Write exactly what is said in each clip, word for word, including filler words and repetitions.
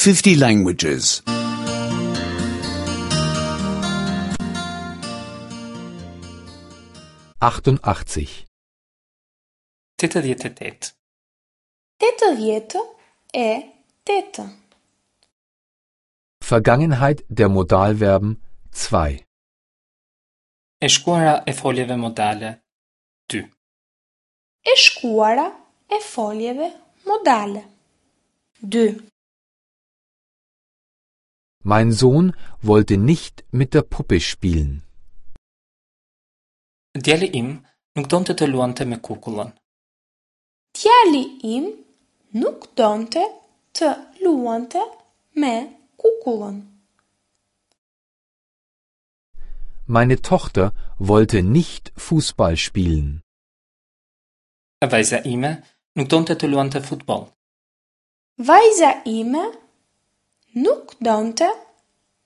fifty languages. achtundachtzig. Tetëdhjetë e tetë. Tetëdhjetë e tetë. Vergangenheit der Modalverben zwei. E shkuara e foljeve modale dy. E shkuara e foljeve modale dy. Mein Sohn wollte nicht mit der Puppe spielen. Djali im nuk donte të luante me kukullën. Djali im nuk donte të luante me kukullën. Meine Tochter wollte nicht Fußball spielen. Vajza ime nuk donte të luante futboll. Vajza ime nuk donte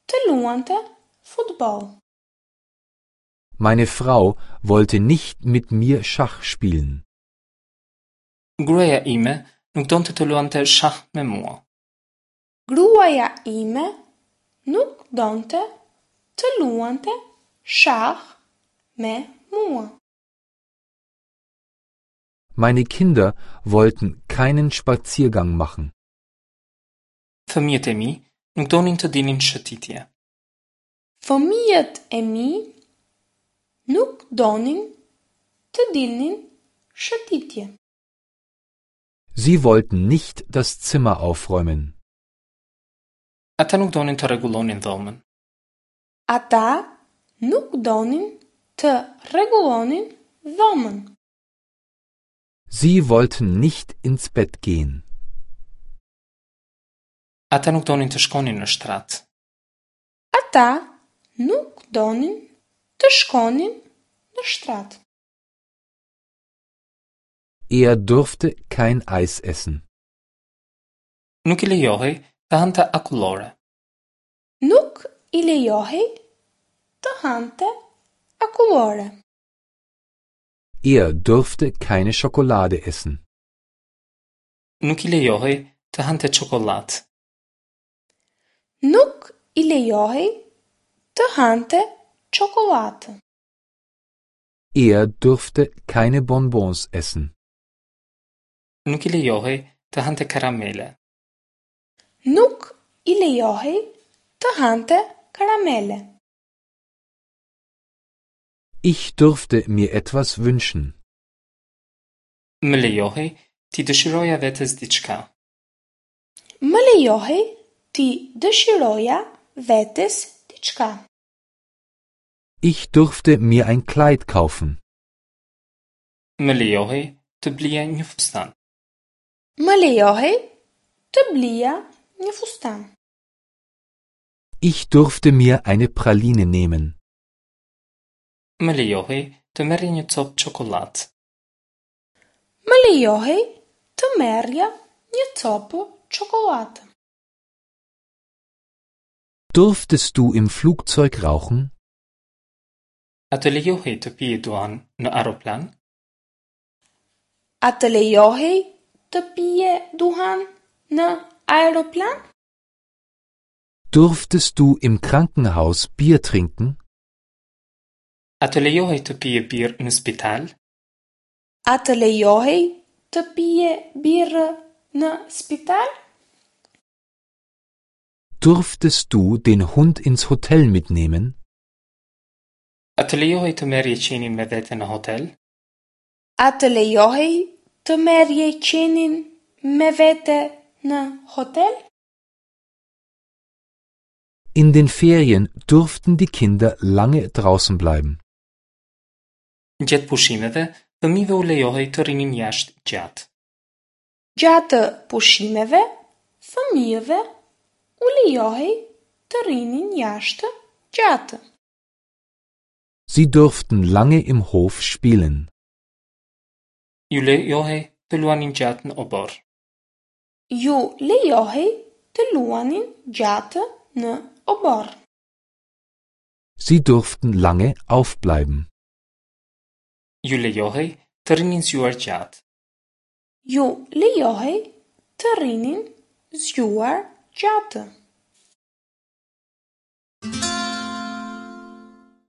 të luante futboll. Meine Frau wollte nicht mit mir Schach spielen. Gruaja ime nuk donte të luante shah me mua. Gruaja ime nuk donte të luante shah me mua. Meine Kinder wollten keinen Spaziergang machen. Fëmijët e mi nuk donin të dilnin shëtitje. Fëmijët e mi nuk donin të dilnin shëtitje. Sie wollten nicht das Zimmer aufräumen. Ata nuk donin të rregullonin dhomën. Ata nuk donin të rregullonin dhomën. Sie wollten nicht ins Bett gehen. Ata nuk donin të shkonin në shtrat. Ata nuk donin të shkonin në shtrat. Er durfte kein Eis essen. Nuk i lejohej të hante akullore. Nuk i lejohej të hante akullore. Er durfte keine Schokolade essen. Nuk i lejohej të hante çokollatë. Nuk i lejohej të hante çokollatë. Er durfte keine Bonbons essen. Nuk i lejohej të hante karamele. Nuk i lejohej të hante karamele. Ich durfte mir etwas wünschen. Më lejohej t'i dëshiroja vetes diçka. Më lejohej t'i dëshiroja vetes diçka. Ich durfte mir ein Kleid kaufen. Më lejohej të blija një fustan. Më lejohej të blija një fustan. Ich durfte mir eine Praline nehmen. Më lejohej të merrja një copë çokollatë. Më lejohej të merrja një copë çokollatë. Durftest du im Flugzeug rauchen? A të lejohej të pije duhan në aeroplan? A të lejohej të pije duhan në aeroplan? Durftest du im Krankenhaus Bier trinken? A të lejohej të pije birrë në spital? A të lejohej të pije birrë në spital? Durftest du den Hund ins Hotel mitnehmen? A të lejohej të merrje qenin me vete në hotel? A të lejohej të merrje qenin me vete në hotel? In den Ferien durften die Kinder lange draußen bleiben. Gjatë pushimeve, fëmijëve u lejohej të rrinin jashtë gjatë. Gjatë pushimeve, fëmijëve u lejohej të rrinin jashtë gjatë. Sie durften lange im Hof spielen. Ju lejohej të luanin gjatë në oborr. Ju lejohej të luanin gjatë në oborr. Sie durften lange aufbleiben. Ju lejohej të rrinin zgjuar gjatë. Ju lejohej të rrinin zgjuar gjatë.